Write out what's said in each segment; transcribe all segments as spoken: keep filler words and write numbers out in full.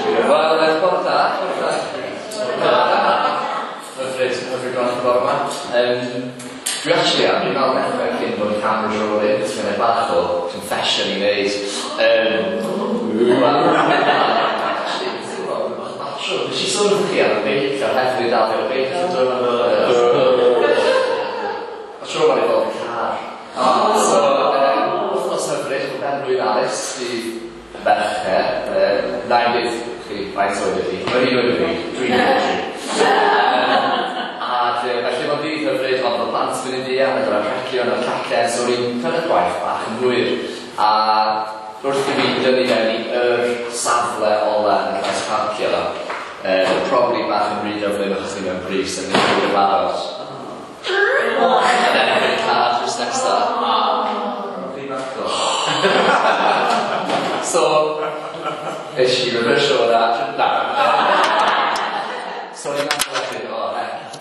Wel, bore da, bore da. Hyfryd, hyfryd gweld bore yma. Um, dwi actually am, dwi'n meddwl dechrau cyn bod y cameras rolling, cos mae'n bach o confession i wneud. Um, well, actually, ti'n gwybod, bach batrwm. Nes i sôn wrth chi am y beic, a'r heddlu dal fi ar y beic. A tro ma'n i fod yn car. So, um, wythnos hyfryd, o ben blwydd Alice, di Mercher, uh, na i dweud chi faint oed ydi, mae'n un oed i fi, dwi'n un oed. A felly mae'n ddydd hyfryd, ond mae plant yn mynd i fuan, ac o'r anrhegion a'r cacen, so o'n i'n cyrraedd gwaith bach yn hwyr. A wrth i fi dynnu mewn i yr safle ola yn y maes parcio, uh, probably bach yn rhy gyflym achos ni mewn brys yn mynd i'n barod. And then yn car drws nesa. So, nes i reversio hwnna, na. So, o'n i'n meddwl wedyn, o,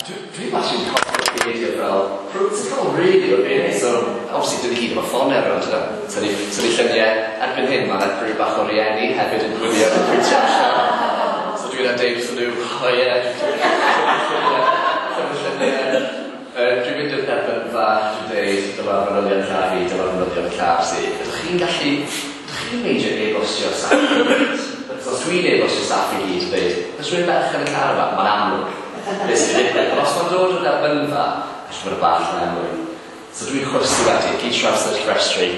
dwi'n actually cofio beidio fel protocol really o'r beth. So, obviously, dyn ni gyd efo ffonau rownd, yna. Tynnu lluniau, erbyn hyn, mae yna grŵp bach o rieni hefyd yn gwylio yn pwyntio allan. So, dwi'n deud wrthyn nhw, o ie, tynnu lluniau. Dwi'n mynd i'r dderbynfa, dwi'n deud, dyma fanylion car fi, dyma fanylion car si. Ydych chi'n gallu, ydych chi'n meindio e-bostio staff i gyd? So, os dwi'n e-bostio staff i gyd, dweud, oes rhywun berchen y car yma, mae'n amlwg. Beth sy'n digwydd. Ond os mae'n dod o'r dderbynfa, allai fod y bach yn amlwg. So dwi'n chwysu wedyn, gyd traws yr rhestri,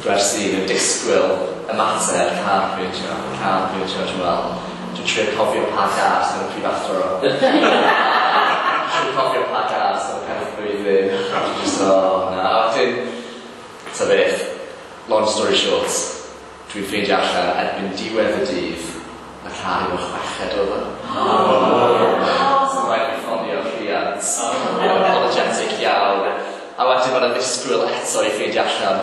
gwersi yn disgwyl ymateb car pwyntio, car pwyntio, dwi'n meddwl. Dwi'n trio cofio pa gar sydd yn y prifathro. Dwi'n cofio pa gar sydd yn y pen blwyddyn. Dwi'n just, oh, na. A wedyn, ta beth, long story short, dwi'n ffeindio allan erbyn diwedd y dydd, mae car i fod chweched oedd o. So rhaid i ffonio rhiant, apologetic iawn. A wedyn mae'n ddisgwyl eto i ffeindio allan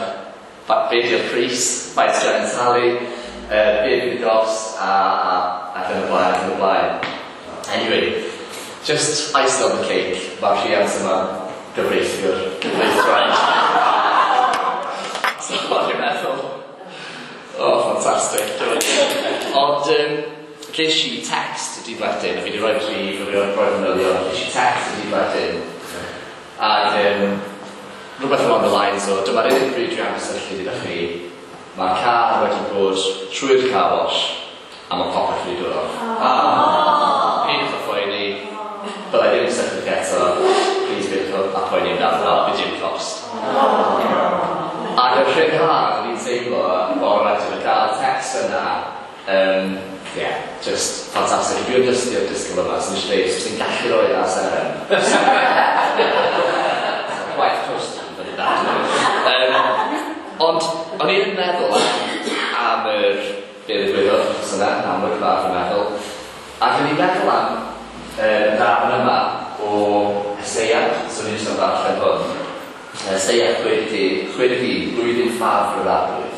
be di'r pris, faint dwi'n angen talu, uh, be fydd y gost, a, a, ac yn y blaen, ac yn y blaen. Anyway, just icing on the cake, mae'r rhiant yma gyfreithiwr, gyfreithwraig. So o'n i'n meddwl, oh, fantastic. Ond, um, ges i text y dydd wedyn, a fi wedi rhoi prif, a fi wedi rhoi manylion, ges i text y dydd wedyn, ac um, rhywbeth along the lines o, dyma'r unig bryd dwi am gysylltu gyda chi, mae'r car wedi bod trwy'r car wash, a mae popeth wedi dod off. Ah. Peidiwch â phoeni, byddai ddim yn cysylltu chi eto, please peidiwch â poeni amdano, bydd dim cost. Ac y rhyddhad o'n i'n teimlo bore wedyn, y gael text yna, um, yeah, just fantastic. Dwi'n dysgu'r disgwyl yma, so nes i dweud, os ti'n gallu rhoi ar seren. Quite close to fyny that. Um, ond, o'n i'n meddwl am, am yr be ddigwyddodd wythnos yna, yn amlwg fath yn meddwl. Ac o'n i'n meddwl am uh, darn yma o Eseia, so ni'n jyst am ddarllen hwn. Eseia chwe deg un, blwyddyn ffafr yr Arglwydd.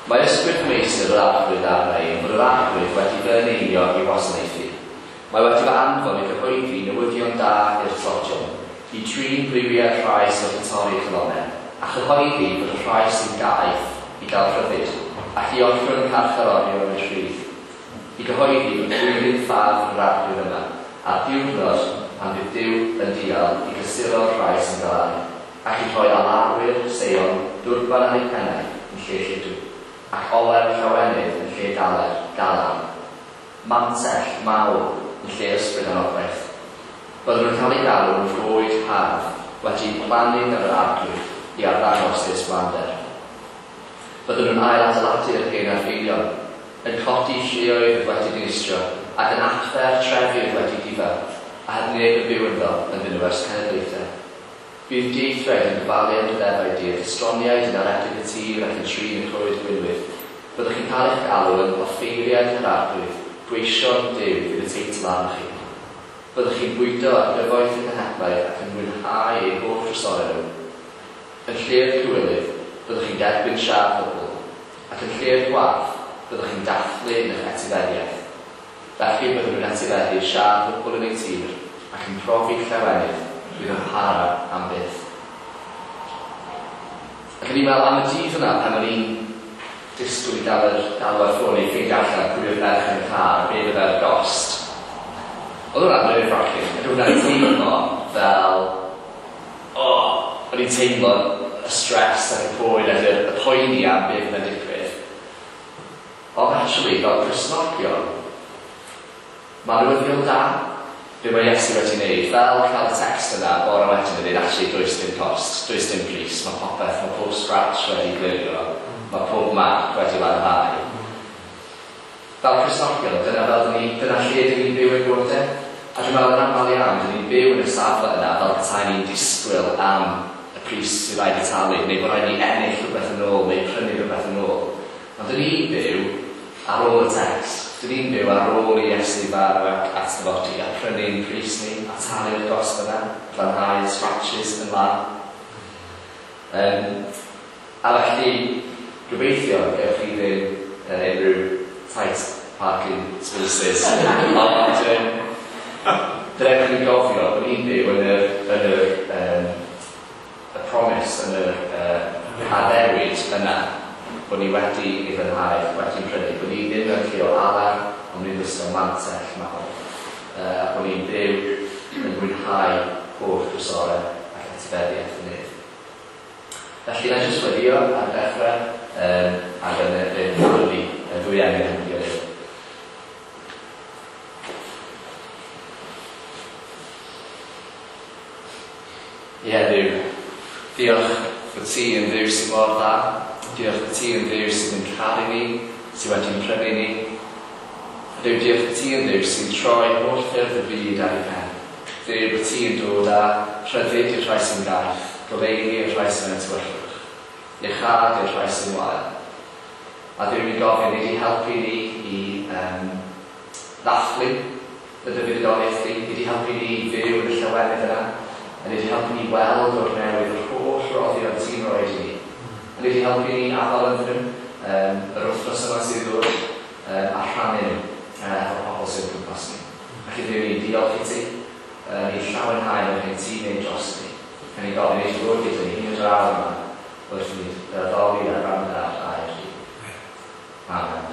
Mae ysbryd meistr yr Arglwydd arna i, bod yr Arglwydd wedi fy eneinio i wasanaethu. Mae wedi fy anfon i gyhoeddi newyddion da i'r tlodion, i drin briwiau'r rhai sydd wedi torri calonnau, a chyhoeddi bod y rhai sy'n gaeth i gael rhyddid, ac i ollwng y carcharorion yn rhydd. I gyhoeddi bod blwyddyn ffafr yr Arglwydd yma, a'r diwrnod pan fydd Duw yn dial i gysuro'r rhai sy'n galaru, ac i rhoi alarwyr Seion dwrban ar eu pennau yn lle lludw, ac olew llawenydd yn lle galer, galar, mantell mawr yn lle ysbryd anogaeth. Byddwn nhw'n cael eu galw yn goed hardd wedi plannu gan yr Arglwydd i arddangos ei ysblander. Byddwn nhw'n ail adeiladu'r hen adfeilion, yn codi lleoedd wedi dinistrio, ac yn adfer trefi wedi difa, a heb neb yn byw ynddo ynddyn nhw ers cenedlaethau. Bydd dieithriaid yn gofalu am dy ddefaid di, ac estroniaid yn aredig y tir ac yn trin y coed gwinwydd. Byddwch chi'n cael eich galw yn offeiriaid yr Arglwydd, gweision Duw fydd y teitl arnoch chi. Byddwch chi'n bwydo ar gyfoeth y cenhedlaeth ac yn mwynhau eu holl drysorau nhw. Yn lle'r cywilydd, byddwch chi'n derbyn siâp ddwbl, ac yn lle'r gwarth, byddwch chi'n dathlu yn eich etifeddiaeth. Felly byddwn nhw'n etifeddu siâp ddwbl yn eu tir ac yn profi llawenydd fydd yn para am byth. Ac o'n i'n meddwl am y dydd yna pan o'n i'n disgwyl i gael yr galw ar ffôn i ffeindio allan pwy oedd berchen y car, be Oedd hwnna'n nerve-wracking, ac hwnna'n teimlo fel, oh, o'n i'n teimlo y stress ac y poen ac y, y poeni am beth yn digwydd. Ond actually, fel Cristnogion, mae newyddion da be mae Iesu wedi wneud, fel cael y text yna bore wedyn yn dweud, actually, does dim cost, does dim pris, mae popeth, mae pob scratch wedi glirio, mae pob mark wedi lanhau. Fel Cristnogion, dyna fel ni, dyna lle dyn ni'n byw yn bywydau. A dwi'n meddwl yn aml iawn, dyn ni'n byw yn y safle yna fel petai ni'n disgwyl am y pris sydd rhaid i talu, neu bod rhaid ni ennill rhywbeth yn ôl, neu prynu rhywbeth yn ôl. Ond dyn ni'n byw ar ôl y text. Dyn ni'n byw ar ôl i Iesu farw ac atgyfodi a prynu'n pris ni, a talu'r gost yna, glanhau y scratches yn lan. Um, a felly, gobeithio gewch chi ddim yn unrhyw tight parking spaces. Ond um, dylech chi gofio bod ni'n byw yn yr, yn yr um, y promise, yn yr uh, addewid yna, bod ni wedi ei fynhau, wedi'n prynu, bod ni ddim yn lle o alar, ond ni'n wisgo mantell mawr, uh, a bod ni'n byw yn mwynhau holl drysorau ac etifeddiaeth y nef. Felly, na jyst weddio ar ddechrau, um, ac yn y ddwy y ddwy enw yn gilydd. Ie, Dduw, diolch bod ti yn Dduw sy'n mor dda. Diolch bod ti yn Dduw sydd yn caru ni, sydd wedi'n prynu ni. Dduw, diolch bod ti yn Dduw sy'n troi holl ffyrdd y byd ar ei pen. Dduw, bod ti yn dod â rhyddid i'r rhai sy'n gaeth, goleuni i'r rhai sy'n tywyllwch, iachâd i'r rhai sy'n wael. A Dduw, ni'n gofyn i di helpu ni i um, ddathlu y dy fuddugoliaeth di, i di helpu ni i fyw yn y llawenydd yna, a ni di helpu ni weld o'r newydd yr holl roddion ti'n rhoi i ni. A ni di helpu ni afael ynddyn nhw, um, yr wythnos yma sydd ddod, um, a rhannu nhw uh, efo pobl sydd o gwmpas ni. Ac i Dduw, ni'n diolch i ti, uh, ni'n llawenhau yn hyn ti'n neud dros ni. A ni'n gofyn i ti fod gyda ni hyn yr awr yma, wrth i ni addoli a rhannu ar air di. Amen.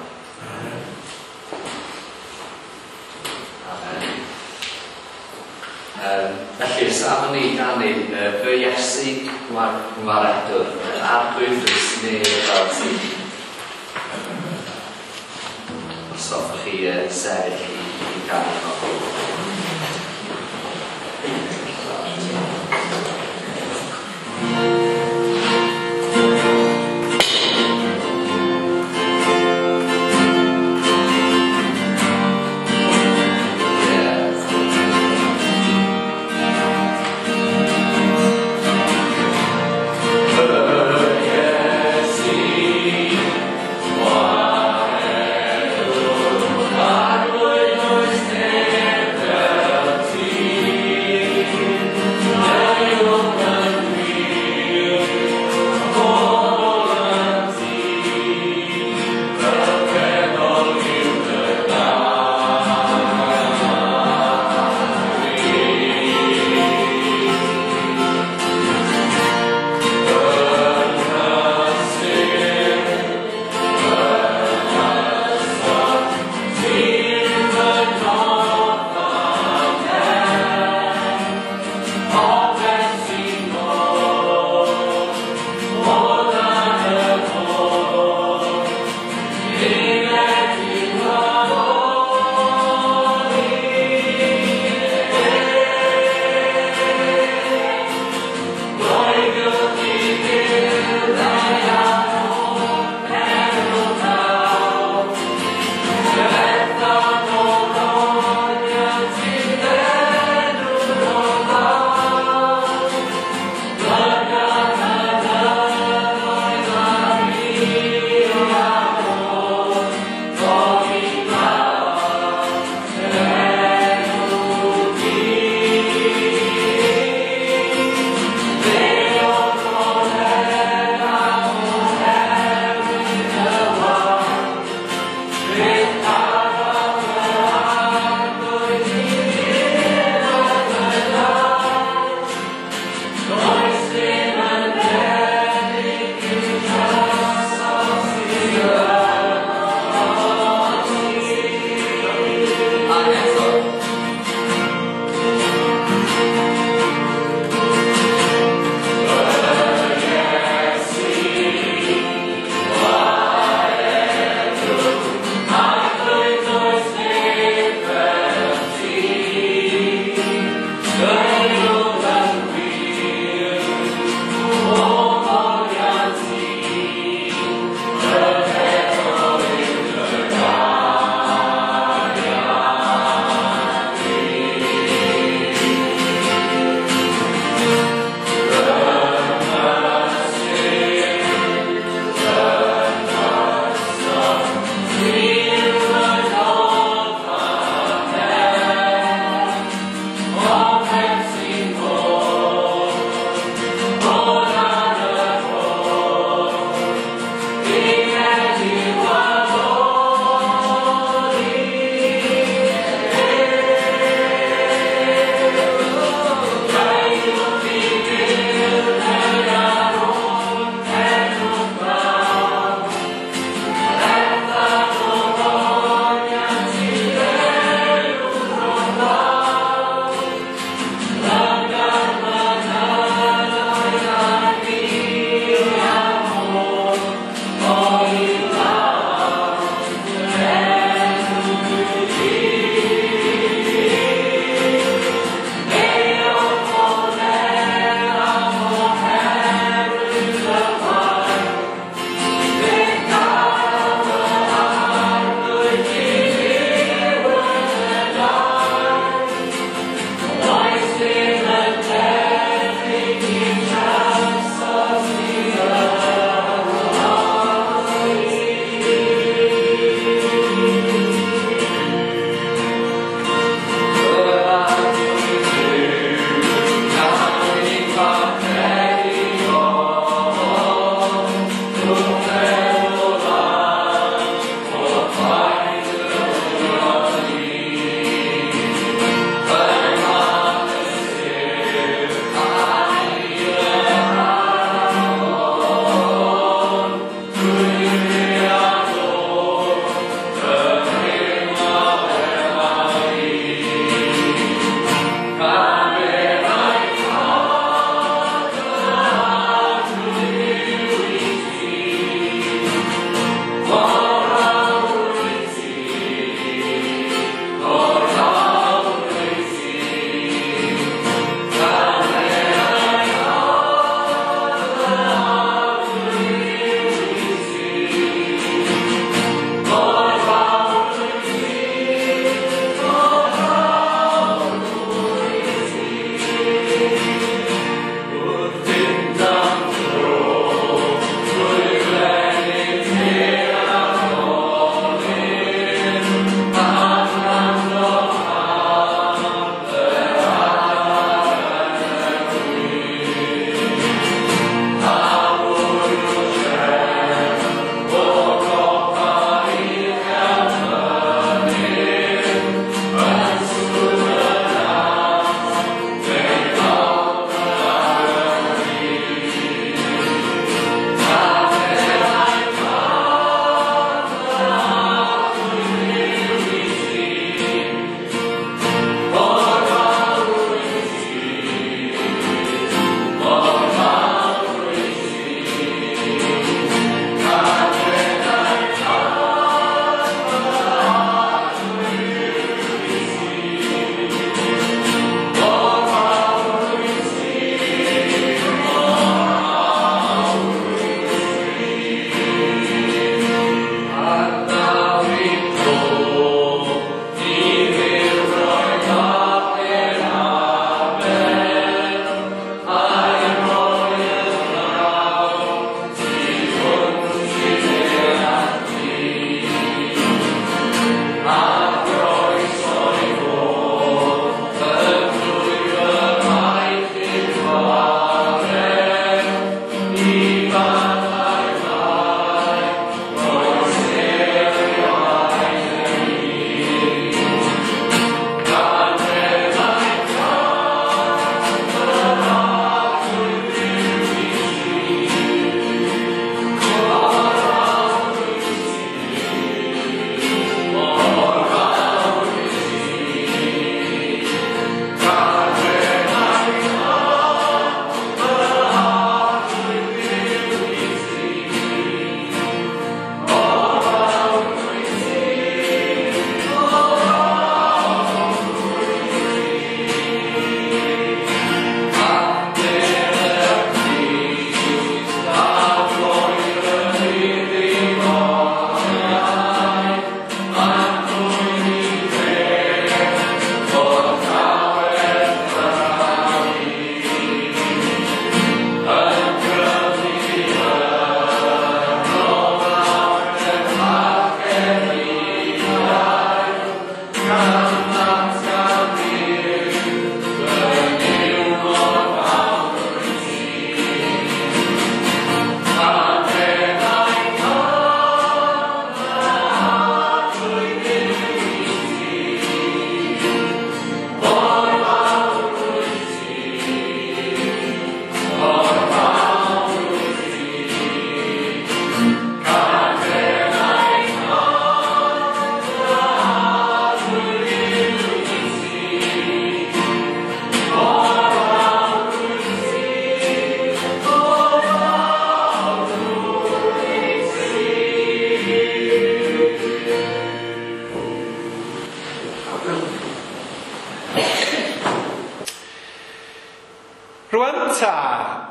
Amen. Um, felly, safon ni ganu uh, fy Iesu Ngwaredwr, yr Arglwydd does neb fel ti. Os hoffech chi uh, sefyll i, i ganu fo. Arglwydd, oes neb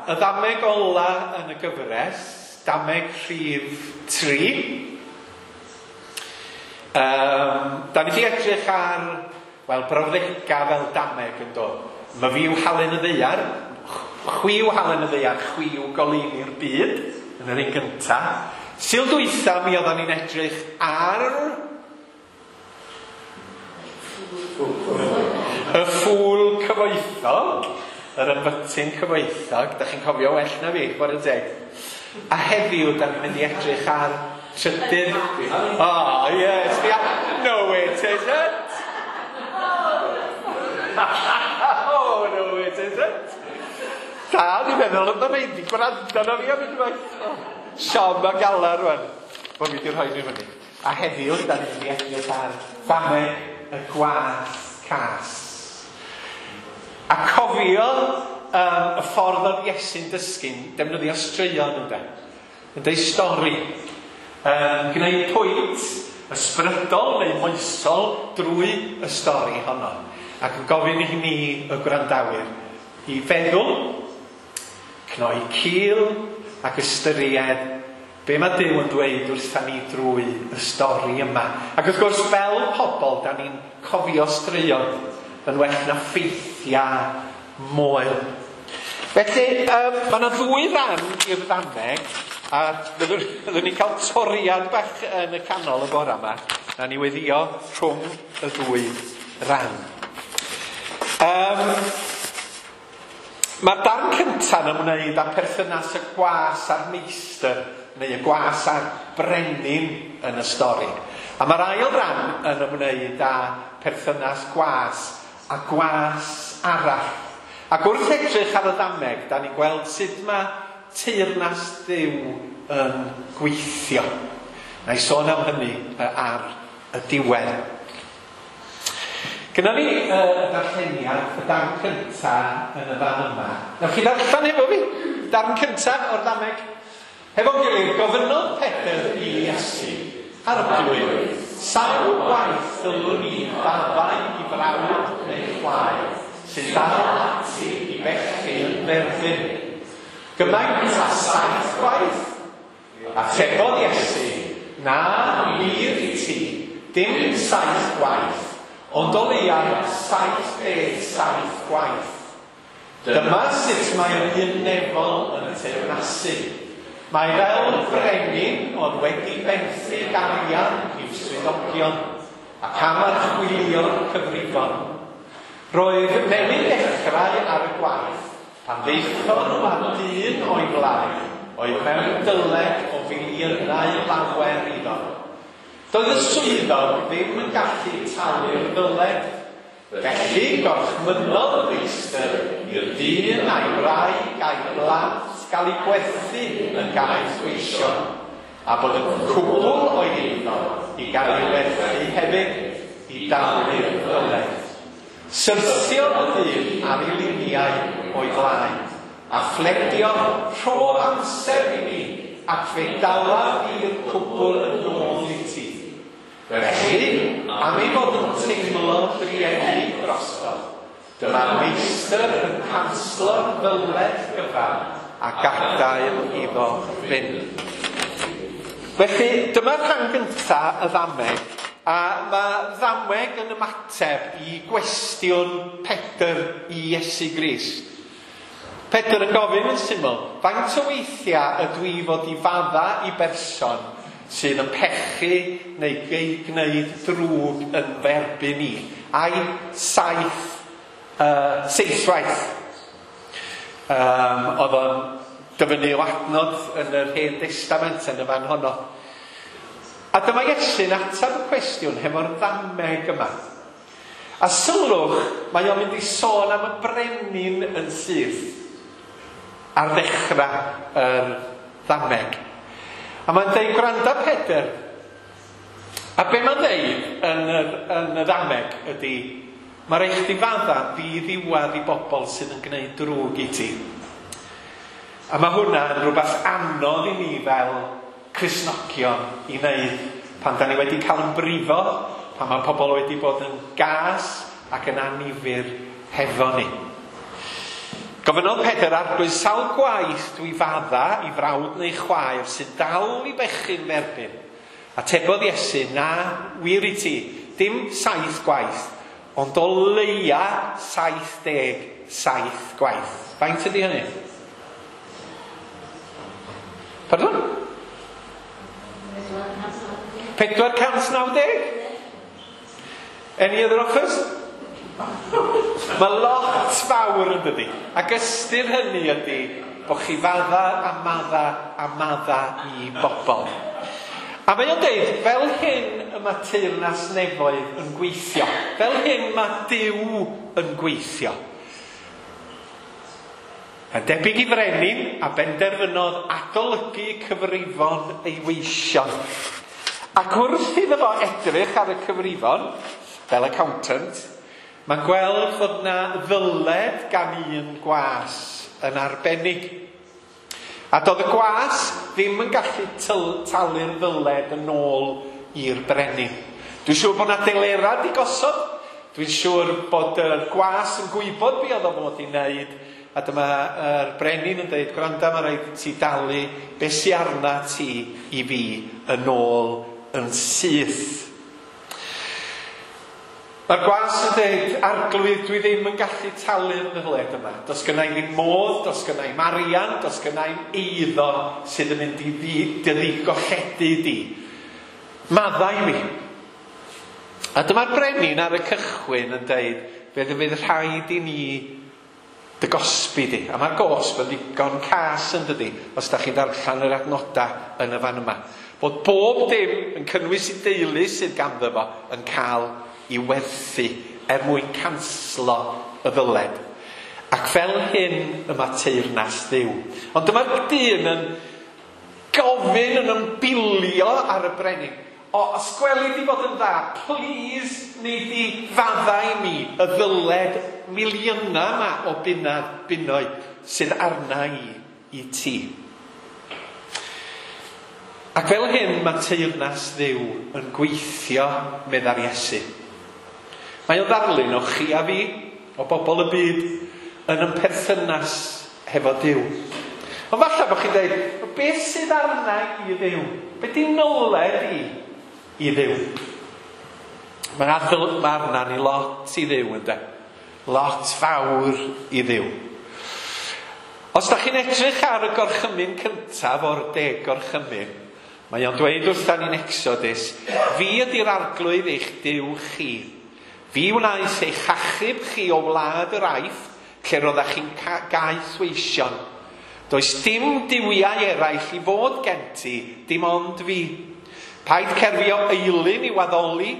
Y ddameg ola yn y gyfres, dameg rhif tri. Um, da ni wedi edrych ar, wel, brawddega fel dameg yn dod. Mae fi yw halen y ddaear, chwi yw halen y ddaear, chwi yw goleuni'r byd, yn yr un gynta. Sul dwytha mi oeddan ni'n edrych ar y ffŵl cyfoethog, yr ymbytyn cyfoethog, da chi'n cofio well na fi, chwarae teg. A heddiw, da ni'n mynd i edrych ar trydydd... Oh, yes, the... No, it isn't! Oh, no, it isn't! Da, ni'n meddwl, mae rhaid i gwrando na fi am unwaith. Oh, siom a galar rwan, bod fi wedi rhoi nhw fyny. A heddiw, da ni'n mynd i edrych ar ddameg y gwas cas. A cofio um, y ffordd oedd Iesu'n dysgu'n defnyddio straeon ynde. Yn deud stori. Um, gwneud pwynt ysbrydol neu moesol drwy y stori honno. Ac yn gofyn i ni y gwrandawyr i feddwl, cnoi cil ac ystyried be mae Duw yn dweud wrtha ni drwy y stori yma. Ac wrth gwrs fel pobl, da ni'n cofio straeon yn well na ffeithiau moel. Felly, um, mae yna ddwy ran i'r ddameg, a fyddwn, fyddwn ni'n cael toriad bach yn y canol y bore yma. Na ni weddio rhwng y ddwy ran. Um, Mae'r darn cyntaf yn ymwneud â perthynas y gwas a'r meistr, neu y gwas a'r brenin yn y stori. A mae'r ail ran yn ymwneud â perthynas gwas a gwas arall. Ac wrth edrych ar y ddameg, da ni'n gweld sut mae teyrnas Dduw yn gweithio. Na i sôn am hynny ar y diwedd. Gynna ni y darlleniad, y darn cyntaf yn y fan yma. Newch chi ddarllen efo fi? Darn cyntaf o'r ddameg. Hefo'n gilydd, gofynnodd Pedr i Iesu, Arglwydd, sawl gwaith ddylwn i faddau i frawd neu chwaer sy'n dal ati i bechu yn f'erbyn? Gymaint â saith gwaith? Atebodd Iesu, na wir i ti, dim saith gwaith, ond o leiaf saith deg saith gwaith. Dyma sut mae'r un nefol yn y teyrnasu. Mae fel brenin ond wedi benthyg arian i'w swyddogion ac am archwilio'r cyfrifon. Roedd newydd dechrau ar y gwaith pan ddaethon nhw â dyn o'i flaen oedd mewn dyled o filiynau lawer iddo. Doedd y swyddog ddim yn gallu talu'r ddyled. Felly gorchmynnodd y meistr i'r dyn a'i wraig a'i blant gael eu gwerthu yn gaeth weision, a bod y cwbl o'i eiddo i gael ei werthu hefyd i dalu'r ddyled. Syrthiodd y dyn ar ei liniau o'i flaen, a phledio rho amser i mi, ac fe dalaf i'r cwbl yn ôl i ti. Felly, am ei fod yn teimlo drueni drosto, dyma'r meistr yn canslo'r ddyled gyfan a gadael iddo fynd. Felly, dyma'r rhan gyntaf y ddameg, a mae ddameg yn ymateb i gwestiwn Pedr i Iesu Grist. Pedr yn gofyn yn syml, faint o weithiau ydw i fod i fadda i berson sydd yn pechu neu gwneud drwg yn f'erbyn i? Ai saith, uh, seithwaith. Um, oedd o'n dyfynnu o adnod yn yr Hen Testament yn y fan honno. A dyma Iesu'n ateb y cwestiwn hefo'r ddameg yma. A sylwch, mae o'n mynd i sôn am y brenin yn syth ar ddechrau yr ddameg. A mae'n deud, gwranda Pedr. A be mae'n deud yn, yr, yn y ddameg ydy, mae rhaid chdi fadda ddiddiwadd i bobl sydd yn gwneud drwg i ti. A mae hwnna yn rhywbeth anodd i ni fel Cristnogion i wneud pan da ni wedi cael yn brifo, pan mae pobl wedi bod yn gas ac yn annifyr hefo ni. Gofynnodd Pedr, Arglwydd, sawl gwaith dwi fadda i frawd neu chwaer sy'n dal i bechu'n f'erbyn? Atebodd Iesu, na, wir i ti, dim saith gwaith, ond o leia saith deg saith gwaith. Faint ydy hynny? Pardon? Pedwar cant naw deg? Any other offers? Mae lot fawr yn dydi. Ac ystyr hynny ydy bod chi fadda a madda a madda i bobl. A mae o'n deud, fel hyn y mae teyrnas nefoedd yn gweithio. Fel hyn mae Duw yn gweithio. Yn debyg i frenin a benderfynodd adolygu cyfrifon ei weision. Ac wrth iddo fo edrych ar y cyfrifon, fel accountant, mae'n gweld fod na ddyled gan un gwas yn arbennig. A doedd y gwas ddim yn gallu talu'r ddyled yn ôl i'r brenin. Dwi'n siŵr bod na delera di gosod. Dwi'n siŵr bod y gwas yn gwybod be oedd o fod i wneud. A dyma'r brenin yn dweud, gwranda, mae rhaid i ti dalu be sy arna ti i fi yn ôl yn syth. Mae'r gwas yn dweud, Arglwydd, dwi ddim yn gallu talu'r ddyled yma. Does gynna i ddim modd, does gynna i'm arian, does gynna i'm eiddo sydd yn mynd i dy ddigolledu di. Maddau mi. A dyma'r brenin ar y cychwyn yn dweud, fe fydd rhaid i ni dy gosbi di. A mae'r gosb yn ddigon cas yn dydi, os da chi'n darllen yr adnodau yn y fan yma. Bod bob dim yn cynnwys i deulu sydd ganddo fo yn cael i werthu er mwyn canslo y ddyled. Ac fel hyn y mae teyrnas Dduw. Ond dyma'r dyn yn gofyn yn ymbilio ar y brenin. O, os gweli di fod yn dda, please, nei di faddau i mi y ddyled miliynau yma o bunna, bunnoedd sydd arna i i ti. Ac fel hyn mae teyrnas Dduw yn gweithio, meddai'r Iesu. Mae o ddarlun o chi a fi, o bobl y byd, yn yn perthynas hefo Duw. Ond falle bod chi'n dweud, beth sydd arna i Dduw? Be di nyled i i Dduw? Mae arna ni lot i Dduw, ynde? Lot fawr i Dduw. Os da chi'n edrych ar y gorchymyn cyntaf o'r deg gorchymyn, mae o'n dweud wrthan ni'n Exodus, fi ydy'r Arglwydd eich Duw chi. Fi wnaeth eich achub chi o wlad yr Aifft, lle roeddech chi'n gaethweision. Does dim duwiau eraill i fod gen ti, dim ond fi. Paid cerfio eilun i waddoli,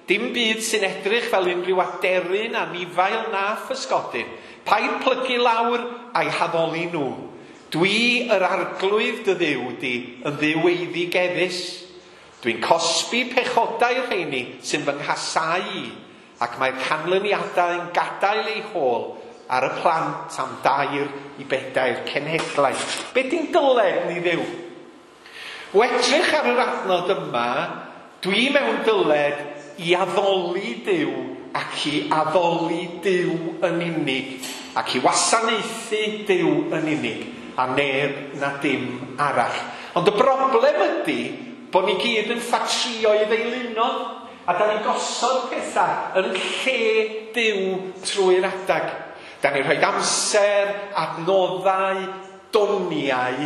dim byd sy'n edrych fel unrhyw aderyn, anifail na physgodyn. Paid plygu lawr a'i haddoli nhw. Dwi yr Arglwydd dy Dduw di yn Dduw eiddigeddus. Dwi'n cosbi pechodau'r rheini sy'n fy nghasau i, ac mae'r canlyniadau yn gadael eu hôl ar y plant am dair i bedair cenhedlaeth. Be di'n dyled ni Dduw? O edrych ar yr adnod yma, dwi mewn dyled i addoli Duw ac i addoli Duw yn unig, ac i wasanaethu Duw yn unig, a neb na dim arall. Ond y broblem ydy bod ni gyd yn ffatrïoedd eilunod, a da ni'n gosod pethau yn lle Duw trwy'r adag. Da ni'n rhoi amser, adnoddau, doniau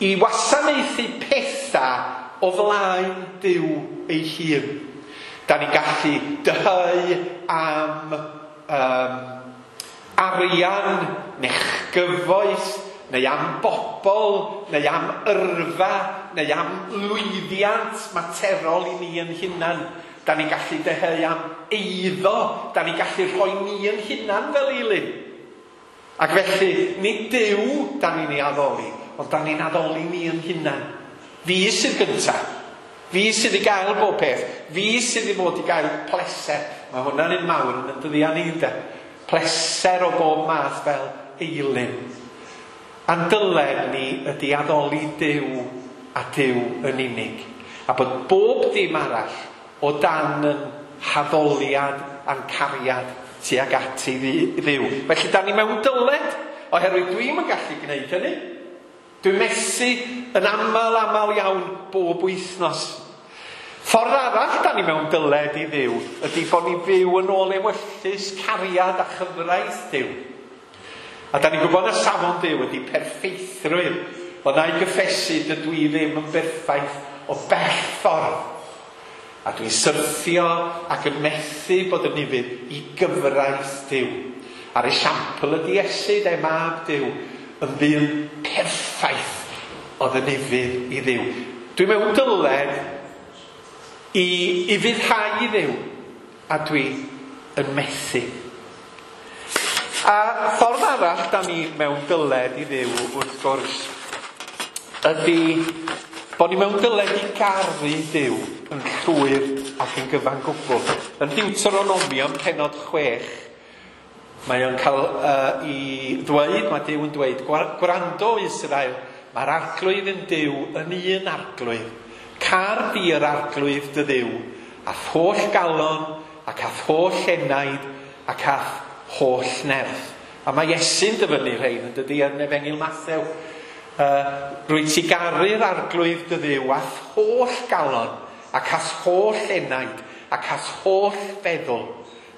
i wasanaethu pethau o flaen Duw ei hun. Da ni'n gallu dyheu am um, arian neu gyfoeth, neu am bobl, neu am yrfa, neu am lwyddiant materol i ni yn hunan. Da ni'n gallu dyheu am eiddo, da ni'n gallu rhoi ni yn hunan fel eilun. Ac felly, nid Duw da ni'n ei addoli, ond da ni'n addoli ni yn hunan. Fi sydd gyntaf. Fi sydd i gael bob peth. Fi sydd i fod i gael pleser. Mae hwnna'n un mawr yn y dyddiau ni, de. Pleser o bob math fel eilun. A'n dyled ni ydy addoli Duw a Duw yn unig. A bod bob dim arall o dan yn haddoliad a'n cariad tuag at i Dduw. Felly da ni mewn dyled, oherwydd dwi'm yn gallu gwneud hynny. Dwi'n methu yn aml, aml iawn bob wythnos. Ffordd arall da ni mewn dyled i Dduw ydy bod ni fyw yn ôl ewyllys, cariad a chyfraith Duw. A da ni'n gwybod na safon Duw ydy perffeithrwydd. Ond na i gyffesu dydw i ddim yn berffaith o bell ffordd. A dwi'n syrthio ac yn methu bod yn ufudd i gyfraith Duw. A'r esiampl ydy Iesu, de, mab Duw, yn ddyn perffaith oedd yn ufudd i Dduw. Dwi mewn dyled i ufuddhau i Dduw, a dwi yn methu. A ffordd arall da ni mewn dyled i Dduw, wrth gwrs, ydy bod ni mewn dyled i garu Duw yn llwyr ac yn gyfan gwbl. Yn Deuteronomium pennod chwech, mae o'n cael uh, i ddweud, mae Duw yn dweud, gwrando Israel, mae'r arglwydd yn Duw yn un arglwydd. Car di yr arglwydd dy Dduw, a'th holl galon, ac a'th holl enaid, ac a'th holl nerth. A mae Iesu'n dyfynnu rhain yn dydy yn Efengyl Mathew. Uh, rwyt ti garu'r arglwydd dy Dduw a'th holl galon, ac a'th holl enaid, ac a'th holl feddwl.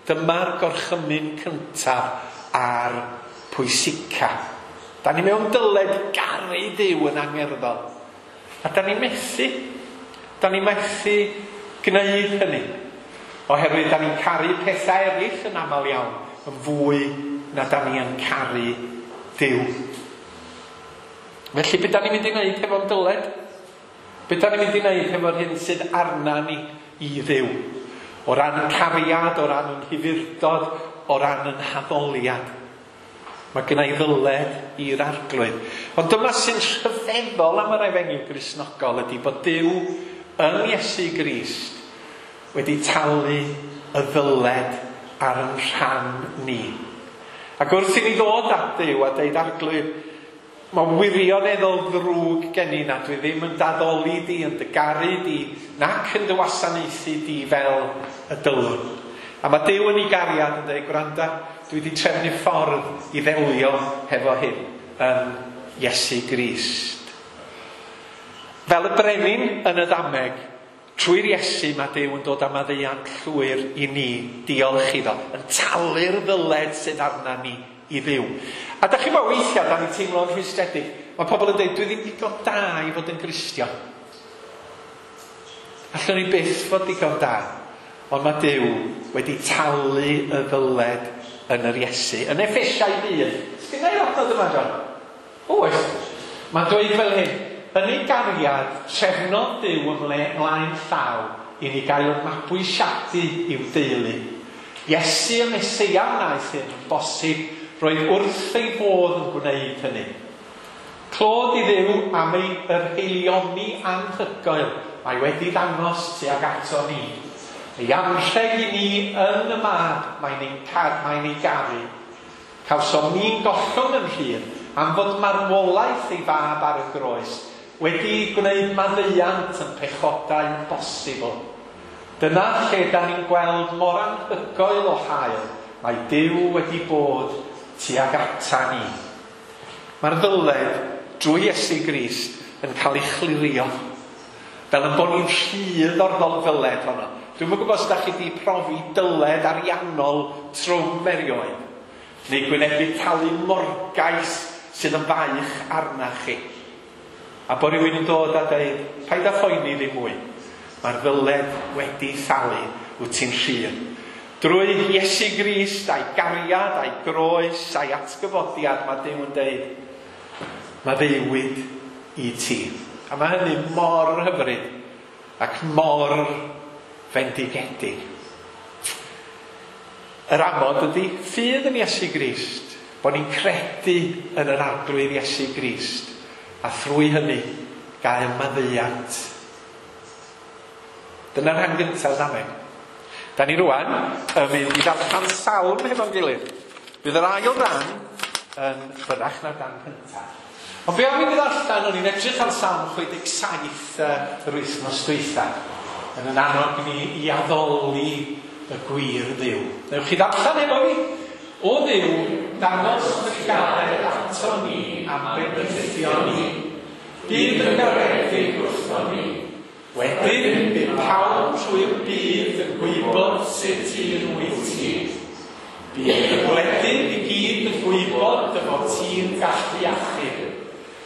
Dyma'r gorchymyn cyntaf a'r pwysica. Da ni mewn dyled garu Duw yn angerddol. A da ni'n methu. Da ni'n methu gwneud hynny. Oherwydd da ni'n caru pethau eraill yn aml iawn, yn fwy na da ni yn caru Duw. Felly, be da ni'n mynd i wneud hefo'n dyled? Be da ni'n mynd i wneud hefo'r hyn sydd arna ni i Dduw? O ran cariad, o ran yn hyfyrdod, o ran yn haddoliad. Mae gynna i ddyled i'r arglwydd. Ond dyma sy'n rhyfeddol am yr efengyl Gristnogol ydy bod Duw yn Iesu Grist wedi talu y ddyled ar yn rhan ni. Ac wrth i ni ddod at Dduw a deud arglwydd, mae wirioneddol ddrwg gen i na dwi ddim yn daddoli di, yn dy garu di, nac yn dy wasanaethu di fel y dylwn. A mae Duw yn ei gariad yn dweud, gwranda, dwi wedi trefnu ffordd i ddelio hefo hyn yn Iesu Grist. Fel y brenin yn y ddameg, trwy'r Iesu mae Duw yn dod â maddeuant llwyr i ni, diolch iddo, yn talu'r ddyled sydd arna ni i Dduw. A da chi'n meddwl weithiau, da ni'n teimlo'n rhwystredig. Mae pobl yn dweud, dwi ddim digon da i fod yn Gristion. Allwn ni byth fod digon da. Ond mae Duw wedi talu y ddyled yn yr Iesu. Yn Effesiaid un. Sgynna i'r adnod yma, John? Oes. Mae'n dweud fel hyn. Yn ei gariad, trefnodd Duw ymlaen llaw i ni gael mabwysiadu i'w deulu. Iesu y Meseia wnaeth hyn yn bosib, roedd wrth ei fodd yn gwneud hynny. Clod i Dduw am ei yr haelioni anhygoel mae wedi ddangos tuag ato ni. Ei anrheg i ni yn y mab mae'n ein car, mae'n ei garu. Cawsom ni'n gollwng yn rhydd am fod marwolaeth ei fab ar y groes wedi gwneud maddeuant yn pechodau yn bosibl. Dyna lle da ni'n gweld mor anhygoel o hael mae Duw wedi bod tuag ata ni. Mae'r ddyled drwy Iesu Grist yn cael ei chlirio. Fel yn bod ni'n rhydd o'r ddyled honno. Dwi'm yn gwybod os da chi wedi profi dyled ariannol trwm erioed. Neu gwynebu talu morgais sydd yn faich arna chi. A bod rhywun yn dod a dweud, paid â phoeni ddim mwy. Mae'r ddyled wedi thalu, wyt ti'n rhydd. Drwy Iesu Grist a'i gariad, a'i groes, a'i atgyfodiad, mae Duw yn deud, maddeuwyd i ti. A mae hynny mor hyfryd ac mor fendigedig. Yr amod ydy ffydd yn Iesu Grist, bod ni'n credu yn yr Arglwydd Iesu Grist, a thrwy hynny gael maddeuant. Dyna'r rhan gyntaf ddameg. Da ni rwan yn mynd i ddarllen salm hefo'n gilydd. Bydd yr ail ran yn byrrach na'r dan cyntaf. Ond be am i mi ddarllen, o'n i'n edrych ar Salm chwe deg saith yr wythnos dwytha, yn yn annog ni i addoli y gwir Dduw. Newch chi ddarllen efo fi? O Dduw, dangos dy gared ato ni am bendithio ni. Bydd yn garedig wrtho ni. Wedyn, bydd pawb trwy'r byd yn gwybod sut un wyt ti. Bydd y gwledydd i gyd yn gwybod dy fod ti'n gallu achub.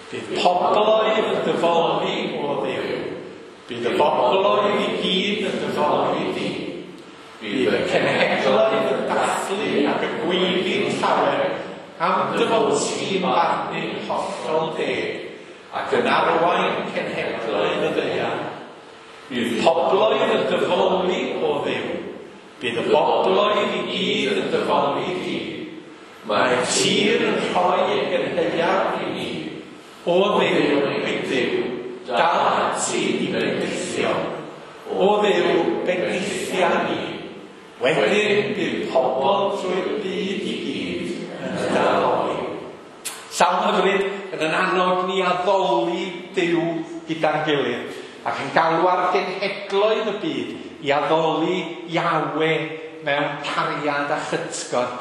Bydd pobloedd yn dyfoli o Dduw. Bydd y bobloedd i gyd yn dyfoli di. Bydd y cenhedloedd yn dathlu ac y gweiddi'n llawer am dy fod ti'n barnu'n hollol deg ac yn arwain cenhedloedd y ddaear. Bydd pobloedd yn dyfoli o Dduw. Bydd y bobloedd i gyd yn dyfoli di. Mae'r tir yn rhoi ei gynhaeaf i ni. O Dduw, ein Duw, dal ati i bendithio. O Dduw, bendithia ni. Wedyn bydd pobl trwy'r byd i gyd yn addoli. Salm hyfryd yn yn annog ni addoli Duw gyda'n gilydd, ac yn galw ar genhedloedd y byd i addoli Iawe mewn cariad a chytgord.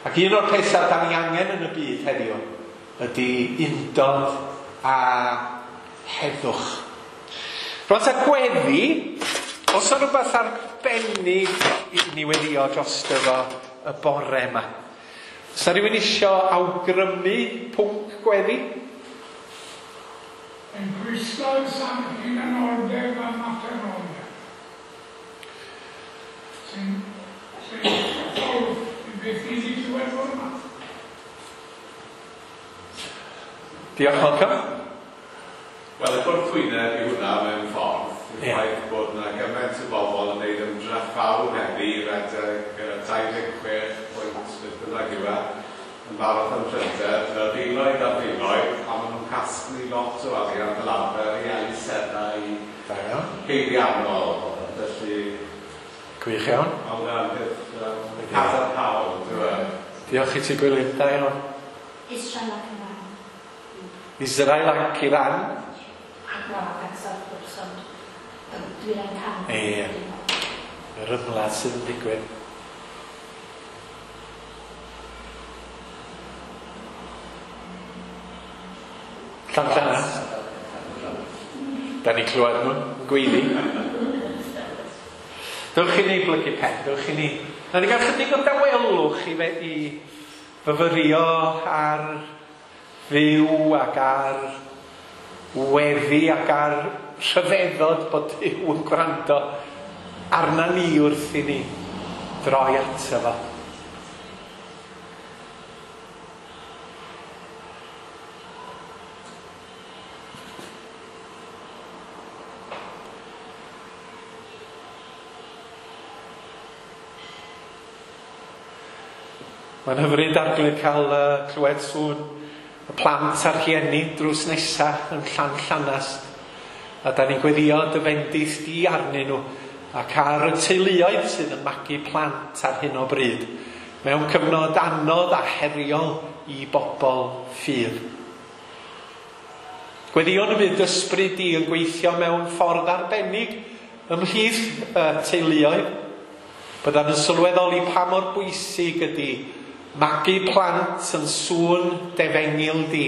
Ac un o'r pethau da ni angen yn y byd heddiw ydy undod a heddwch. Rwan ta gweddi, os yna rhywbeth arbennig i ni weddio drosto fo y bore yma. Os yna rhywun isio awgrymu pwnc gweddi? Yn bwyslais am hunanoldeb a materoliaeth. Sy'n hollol i beth i ni glywed fore yma. Diolch, Malcolm. Wel, y gwrthwyneb i hwnna mewn ffordd, yw'r ffaith bod yna gymaint o bobl yn gwneud ymdrech fawr heddi i redeg dau ddeg chwech pwynt beth bynnag yw e, yn barod am Llundain, fel filoedd a filoedd, a maen nhw'n casglu lot o arian fel arfer i elusennau peiriannol, felly... Gwych iawn. Mae hwnna'n peth um, cadarnhaol, dyw e. Diolch i ti, Gwilym. Da iawn. Israel ac Iran. Israel ac Iran. A Gwag ac wrth gwrs, ond dwi'n canol. Ie. Yr ymladd sydd yn digwydd. Llanllanast. Da ni clywed nhw'n gweiddi. Dewch i ni blygu pen, dewch i ni. Na ni gael chydig o dawelwch i, fe, i fyfyrio ar fyw ac ar weddi ac ar rhyfeddod bod Duw yn gwrando arna ni wrth i ni droi ato fo. Mae'n hyfryd Arglwydd cael uh, clywed sŵn y plant a'r rhieni drws nesaf yn Llanllanast. A da ni'n gweddio dy fendith di arnyn nhw ac ar y teuluoedd sydd yn magu plant ar hyn o bryd mewn cyfnod anodd a heriol i bobl ffydd. Gweddïwn y bydd ysbryd di yn gweithio mewn ffordd arbennig ymhlith y teuluoedd. Byddan yn sylweddoli pa mor bwysig ydy magu plant yn sŵn defengyl di.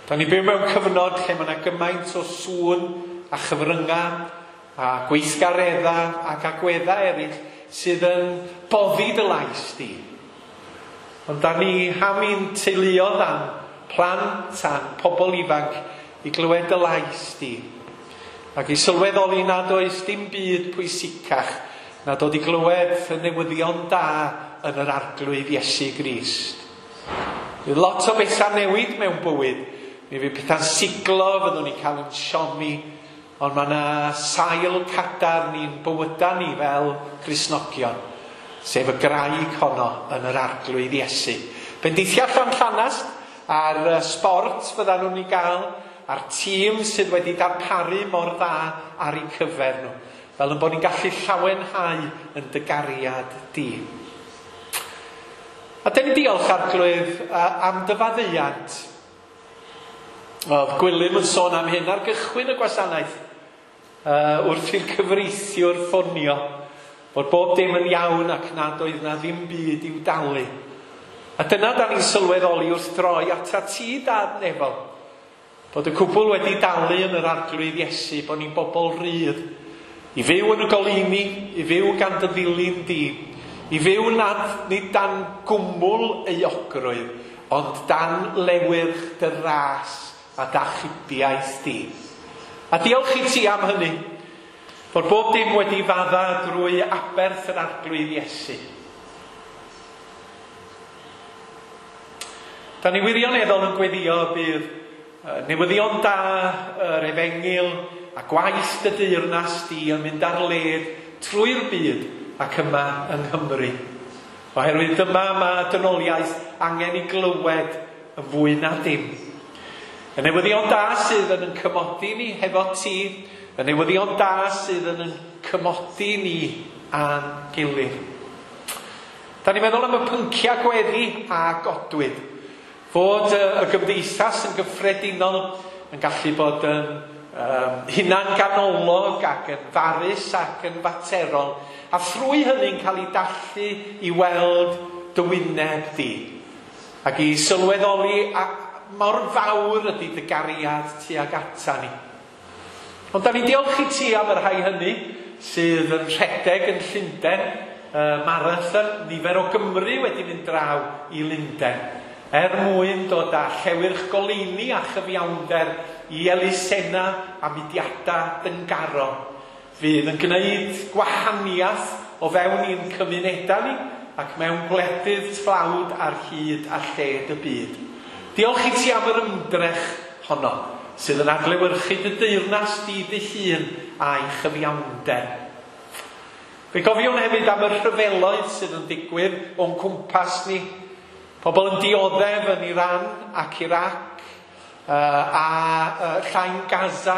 Da ni byw mewn cyfnod lle mae yna gymaint o sŵn a chyfryngau a gweithgareddau ac agweddau eraill sydd yn boddi dy lais di. Ond da ni am i'n teuluoedd a'n plant a'n pobl ifanc i glywed dy lais di, ac i sylweddoli nad oes dim byd pwysicach na dod i glywed y newyddion da yn yr Arglwydd Iesu Grist. Fydd lot o bethau newid mewn bywyd. Mi fydd pethau'n siglo, fyddwn ni'n cael yn siomi, ond mae yna sail cadarn i'n bywydau ni fel Cristnogion, sef y graig honno yn yr Arglwydd Iesu. Bendithia Llanllanast a'r sbort fyddan nhw'n ei gael, a'r tîm sydd wedi darparu mor dda ar eu cyfer nhw, fel yn bod ni'n gallu llawenhau yn dy gariad di. A dyn ni diolch, Arglwydd, am dy faddeuant. Oedd Gwilym yn sôn am hyn ar gychwyn y gwasanaeth, uh, wrth i'r cyfreithiwr ffonio, bod bob dim yn iawn ac nad oedd na ddim byd i'w dalu. A dyna da ni'n sylweddoli wrth droi atat ti, Dad nefol, bod y cwbl wedi dalu yn yr Arglwydd Iesu, bod ni'n bobl rydd, i fyw yn y goleuni, i fyw gan dy ddilyn di, i fyw nad nid dan gwmwl euogrwydd, ond dan lewyrch dy ras a d'achubiaeth di. A diolch i ti am hynny, bod bob dim wedi fadda drwy aberth yr Arglwydd Iesu. Da ni wirioneddol yn gweddio bydd newyddion da, yr efengyl a gwaith dy deyrnas di yn mynd ar led trwy'r byd ac yma yng Nghymru. Oherwydd dyma mae dynoliaeth angen i glywed yn fwy na dim. Y newyddion da sydd yn yn cymodi ni hefo ti, y newyddion da sydd yn yn cymodi ni a'n gilydd. Da ni'n meddwl am y pynciau gweddi a godwyd. Fod y gymdeithas yn gyffredinol yn gallu bod yn um, hunan-ganolog ac yn farus ac yn faterol, a thrwy hynny'n cael ei dallu i weld dy wyneb di, ac i sylweddoli a mor fawr ydy dy gariad tuag ata ni. Ond da ni'n diolch i ti am y rhai hynny sydd yn rhedeg yn Llundain, uh, marathon, nifer o Gymru wedi mynd draw i Lundain, er mwyn dod â llewyrch goleuni a chyfiawnder i elusenna a mudiadau dyngarol, fydd yn gwneud gwahaniaeth o fewn i'n cymunedau ni ac mewn gwledydd tlawd ar hyd a lled y byd. Diolch i ti am yr ymdrech honno, sydd yn adlewyrchu dy deyrnas di dy hun a'i chyfiawnder. Fe gofiwn hefyd am y rhyfeloedd sydd yn digwydd o'n cwmpas ni, pobl yn dioddef yn Iran ac Iraq uh, a uh, Llain Gaza,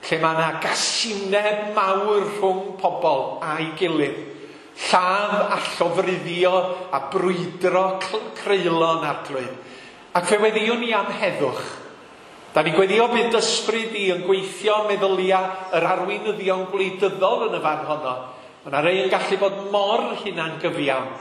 lle mae yna gasineb mawr rhwng pobl a'i gilydd. Lladd a llofruddio a brwydro creulon Arglwydd. Ac fe weddiwn ni am heddwch. Da ni'n gweddio bydd ysbryd i yn gweithio meddylia yr arweinyddion gwleidyddol yn y fan honno. Mae yna rei yn gallu bod mor hunangyfiawn.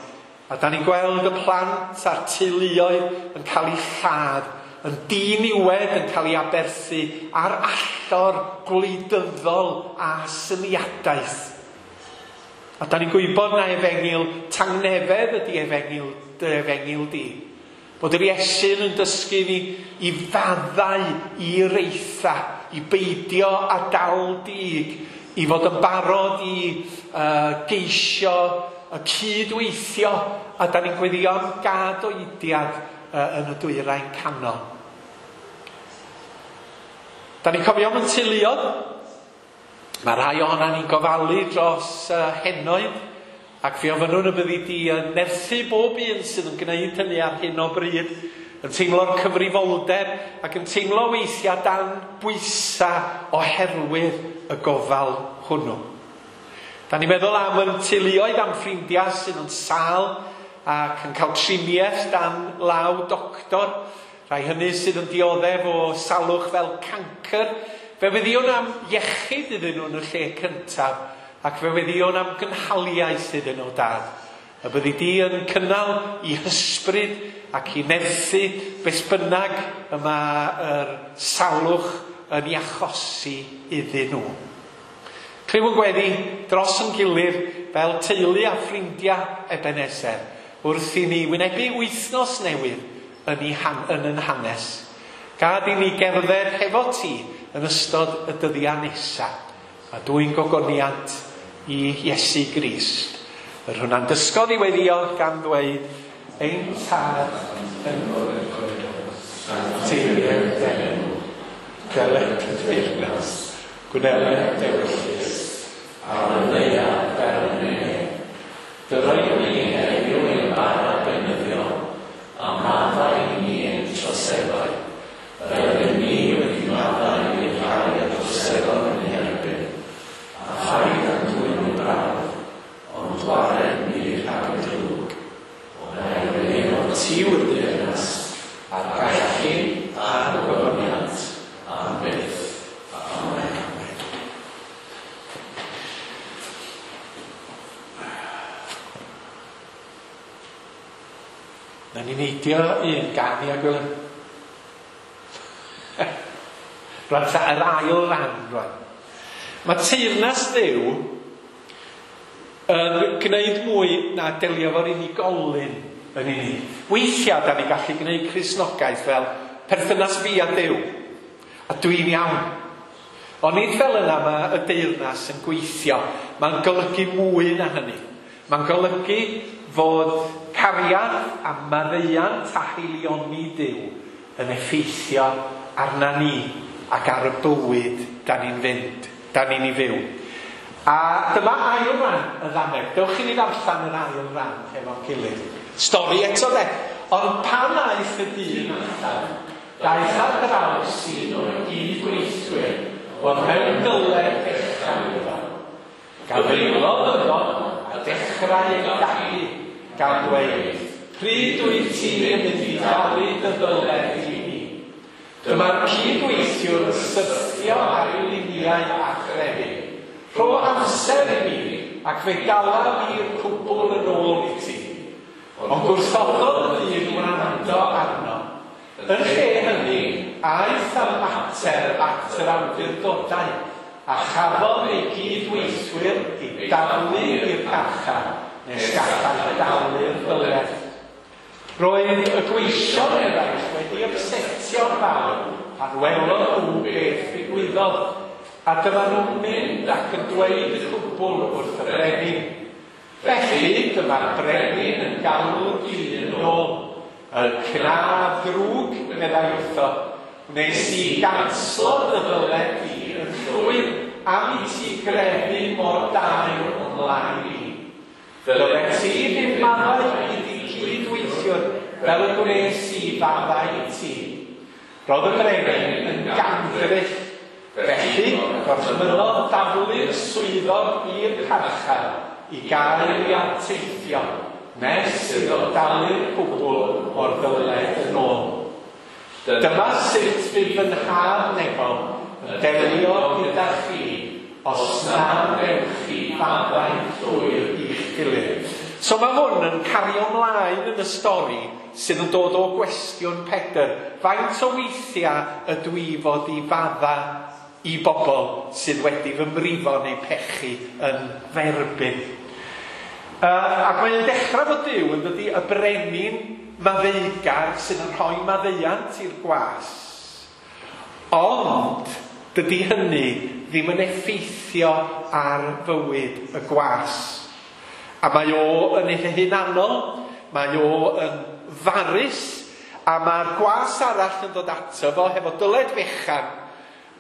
A da ni'n gweld y plant a'r teuluoedd yn cael eu lladd, yn diniwed yn cael ei aberthu ar allor gwleidyddol a syniadaeth. A da ni'n gwybod na efengyl tangnefedd ydy efengyl, dy efengyl di. Bod yr Iesu'n yn dysgu ni i faddau, i reitha, i beidio a dal dig, i fod yn barod i uh, geisio y cydweithio, a da ni'n gweddio am gadoediad uh, yn y dwyrain canol. Da ni'n cofio am yn teuluoedd. Mae rhai ohonan ni'n gofalu dros uh, henoed, ac fe ofynnwn y byddi di yn nerthu bob un sydd yn gwneud hynny ar hyn o bryd, yn teimlo'r cyfrifoldeb ac yn teimlo weithiau dan bwysau oherwydd y gofal hwnnw. Da ni'n meddwl am yn teuluoedd, am ffrindiau sydd yn sâl ac yn cael triniaeth dan law doctor, rhai hynny sydd yn dioddef o salwch fel cancr. Fe weddiwn am iechyd iddyn nhw yn y lle cyntaf, ac fe weddiwn am gynhaliaeth iddyn nhw, Dad. Y byddi di yn cynnal i hysbryd ac i nerthu beth bynnag y mae'r salwch yn ei achosi iddyn nhw. Clywn gweddi dros yn gilydd fel teulu a ffrindiau Ebenezer, wrth i ni wynebu wythnos newydd yn, ei han, yn yn hanes. Gad i ni gerdded hefo ti yn ystod y dyddiau nesaf. A dwi'n gogoniant i Iesu Grist. Yr hwnna'n dysgodd i weddio gan ddweud, ein tad yn teulu'r denw, deled y deyrnas, gwneled dewyllys, ar y ddaear fel yn y nef. Dyroi ni heddiw ein bara beunyddiol, a maddau i ni ein troseddau, fel ydym ni wedi maddau i'r rhai a droseddodd yn ein herbyn, a phaid â'n dwyn i brawf, ond gwared ni rhag y drwg, oherwydd ein bod ti yw'r deyrnas, a'r gallu a'r gogoniant am byth. Amen. Na ni neidio un gan i a Gwilym. Rwan ta yr ail ran rwan. Mae teyrnas Dduw yn gwneud mwy na delio efo'r unigolyn yn unig. Weithiau da ni gallu gwneud Cristnogaeth fel perthynas fi a Duw. A dwi'n iawn. Ond nid fel yna mae y deyrnas yn gweithio. Mae'n golygu mwy na hynny. Mae'n golygu fod cariad a maddeuant a haelioni Duw yn effeithio arna ni ac ar y bywyd da ni'n fynd, da ni'n ei fyw. A dyma ail ran y ddameg. Dewch i ni ddarllen yr ail ran hefo'n gilydd. Stori eto de. Ond pan aeth y dyn allan, daeth ar draws un o'i gydweithwyr oedd mewn dyled fechan iddo. Gafaelodd yno a dechrau ei dagu, gan dweud, pryd wyt ti'n mynd i dalu dy ddyled i mi? Dyma'r cydweithiwr yn syrthio ar ei liniau a chrefu. Rho amser i mi, ac fe galaf i'r cwbl yn ôl i ti. Ond gwrthododd y dyn wrando arno. Yn lle hynny, aeth â'r mater at yr awdurdodau, a chafodd ei gydweithwyr i daflu i'r carchar nes gallai dalu'r ddyled. Roedd y gweision eraill wedi ymsetio'n fawr pan welodd nhw beth ddigwyddodd, a dyma nhw'n mynd ac yn dweud y cwbl wrth y brenin. Felly dyma'r brenin yn galw'r dyn yn ôl. Y cnaf ddrwg, meddai wrtho, wnes i ganslo dy ddyled di yn llwyr am i ti grefu mor daer ymlaen i. Ddylet ti ddim maddau i di cydweithiwr fel y gwnes i faddau i ti. Roedd y brenin yn gandryll. Felly, gorchmynnodd daflu'r swyddog i'r carchar i gael ei anteithio, nes iddo dalu'r cwbl o'r ddyled yn ôl. Dyma sut fydd fy nhad nefol yn delio gyda chi os na wnewch chi faddau llwyr i'ch gilydd. So mae hwn yn cario ymlaen yn y stori sydd yn dod o gwestiwn Pedr. Faint o weithiau ydw i fod i fadda i bobl sydd wedi fy mrifo neu pechu yn f'erbyn? Uh, ac mae'n dechrau fod Duw yn dydi y brenin maddeugar sydd yn rhoi maddeuant i'r gwas. Ond dydy hynny ddim yn effeithio ar fywyd y gwas. A mae o yn ei hunanol, mae o yn farus, a mae'r gwas arall yn dod ato fo hefo dyled fechan,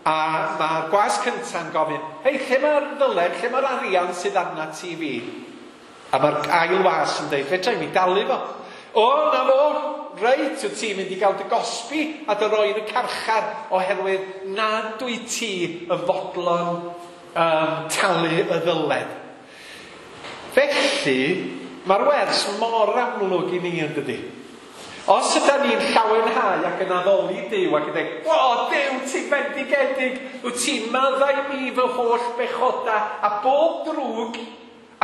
a mae'r gwas cynta'n gofyn, hei, lle mae'r ddyled, lle mae'r arian sydd arna ti fi? A mae'r ail was yn dweud, fedra i mi dalu fo. O, na fo, reit, wyt ti'n mynd i gael dy gosbi a dy roi yn y carchar oherwydd nad wyt ti yn fodlon um, talu y ddyled. Felly, mae'r wers mor amlwg i ni yn dydi. Os ydyn ni'n llawenhau ac yn addoli Duw ac yn dweud, o, Duw, ti'n bendigedig, wyt ti'n maddau mi fy holl bechoda a bob drwg,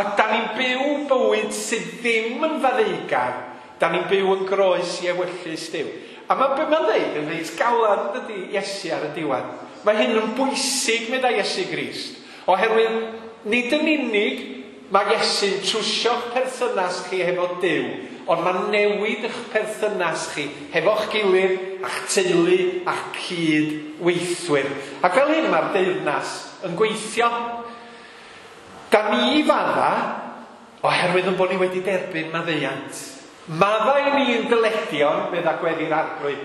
a da ni'n byw bywyd sydd ddim yn faddeugar, da ni'n byw yn groes i ewyllys Duw. A mae be mae'n dweud yn reit galad dydy Iesu ar y diwedd. Mae hyn yn bwysig, meddai Iesu Grist, oherwydd nid yn unig mae Iesu'n trwsio'ch perthynas chi hefo Duw, ond mae'n newid eich perthynas chi hefo'ch gilydd, a'ch teulu, a'ch cydweithwyr. Ac fel hyn mae'r deyrnas yn gweithio. Da ni fadda, oherwydd yn bod ni wedi derbyn maddeuant. Maddau ni'n dyledion, medda gweddi'r Arglwydd,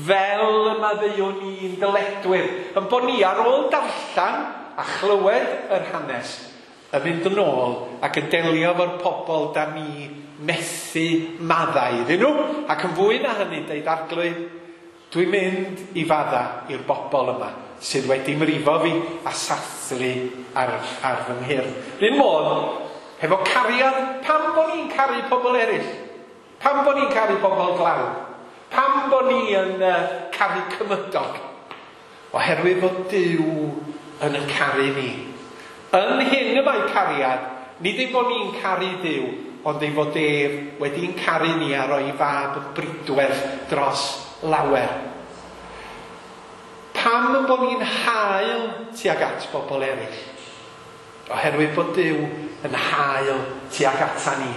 fel y maddeuwn ni'n dyledwyr. Yn bod ni ar ôl darllen a chlywed yr hanes, yn mynd yn ôl ac yn delio efo'r pobl da ni methu maddau iddyn nhw. Ac yn fwy na hynny, deud Arglwydd, dwi'n mynd i fadda i'r bobl yma sydd wedi mrifo fi a sathru ar, ar fy nghyrn. R'un modd, hefo cariad, pam bod ni'n caru pobl eraill? Pam bod ni'n caru pobl dlawd? Pam bod ni yn uh, caru cymydog? Oherwydd fod Duw yn y caru ni. Yn hyn y mae cariad, nid ei bod ni'n caru Duw, ond ei fod ef wedi'n caru ni a roi fab yn bridwerth dros lawer. Pam yn bod ni'n hael tuag at bobl eraill? Oherwydd bod Duw yn hael tuag ata ni.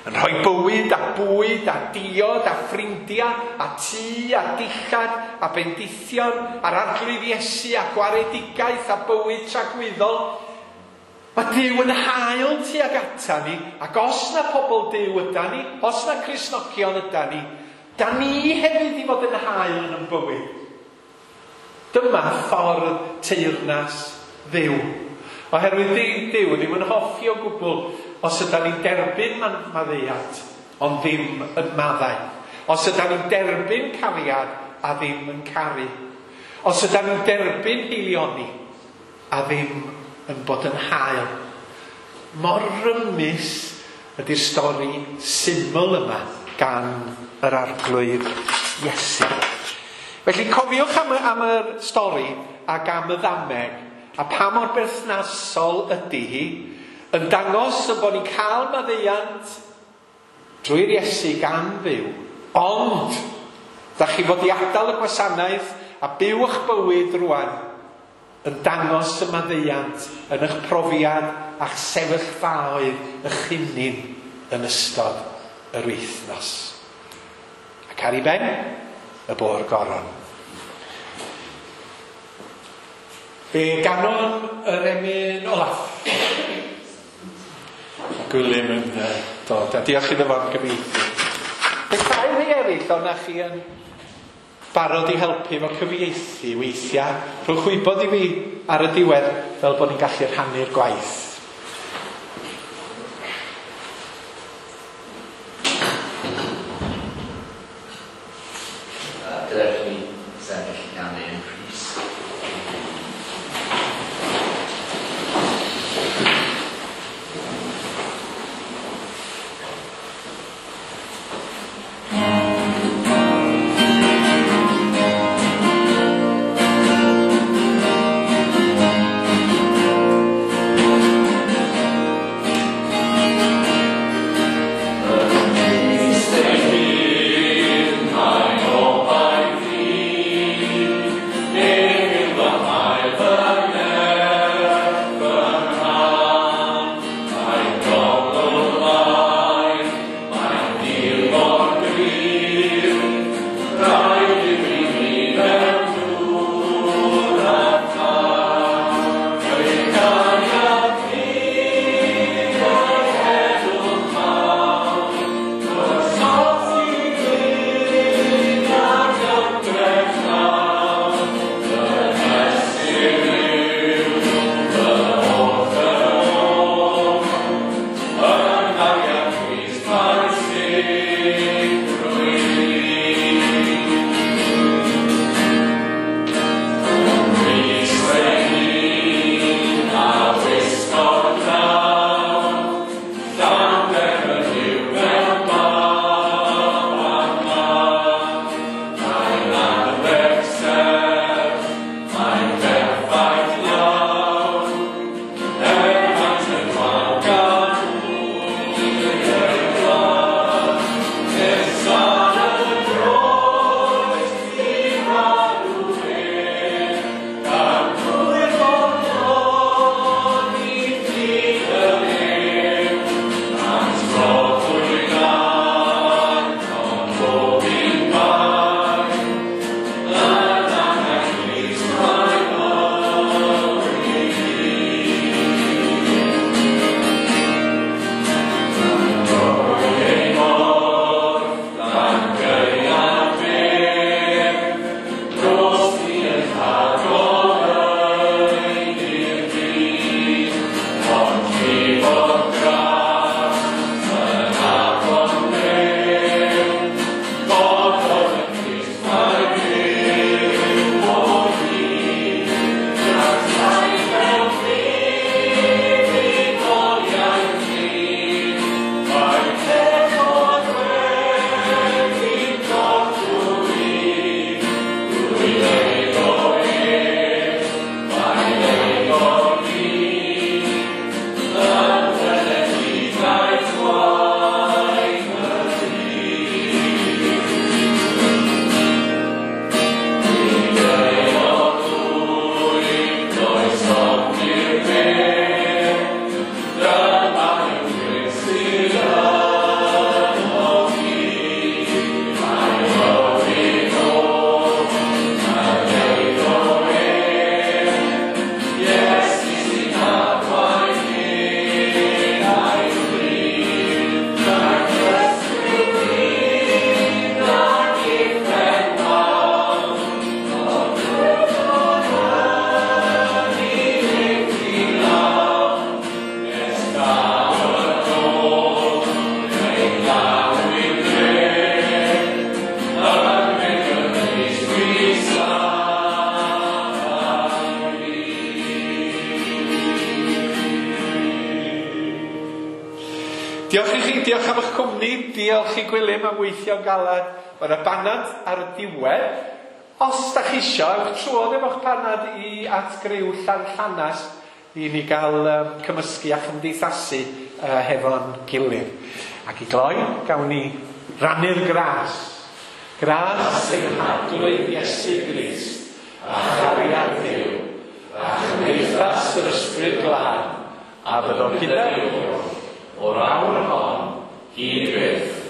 Yn rhoi bywyd a bwyd a diod a ffrindiau a tŷ a dillad a bendithion a'r Arglwydd Iesu a gwaredigaeth a bywyd tragwyddol. Mae Duw yn hael tuag ata ni, ac os na pobl Duw yda ni, os na Cristnogion yda ni, da ni hefyd i fod yn hael yn ein bywyd. Dyma ffordd teyrnas Dduw. Oherwydd Duw ddim yn hoffi o gwbl os yda ni'n derbyn maddeuant, ond ddim yn maddau. Os yda ni'n derbyn cariad a ddim yn caru. Os yda ni'n derbyn haelioni a ddim yn bod yn hael. Mor rymus ydy'r stori syml yma gan yr Arglwydd Iesu. Felly cofiwch am, am yr stori ac am y ddameg, a pa mor berthnasol ydy hi, yn dangos y bod ni'n cael maddeuant drwy'r Iesu gan Dduw. Ond, da chi fod i adael y gwasanaeth a byw eich bywyd rwan yn dangos y maddeuant yn eich profiad a'ch sefyllfaoedd eich hunain yn ystod yr wythnos. Ac ar ei ben, y bôr goron. Fe ganon yr emyn olaf. A Gwilym yn dod. A diolch iddo fo am gyfieithu. Fe rhai rhai eraill o'na chi yn barod i helpu efo cyfieithu weithiau. Rhowch wybod i fi ar y diwedd fel bod ni'n gallu rhannu'r gwaith. Gadewch ni sefyll ganu yn Rhys. Thank Diolch i chi, diolch am eich cwmni, diolch i Gwilym am weithio'n galad. Mae yna banad ar y diwedd. Os da chi isio, ewch trwodd efo'ch panad i at griw Llanllanas i ni gael um, cymysgu a chymdeithasu uh, hefo'n gilydd. Ac i gloi, gawn ni rannu'r gras. Gras ein Harglwydd Iesu Grist, a chariad Dduw, a chymdeithas yr Ysbryd Glân, a fyddo gyda ni o'r awr hon hyd byth.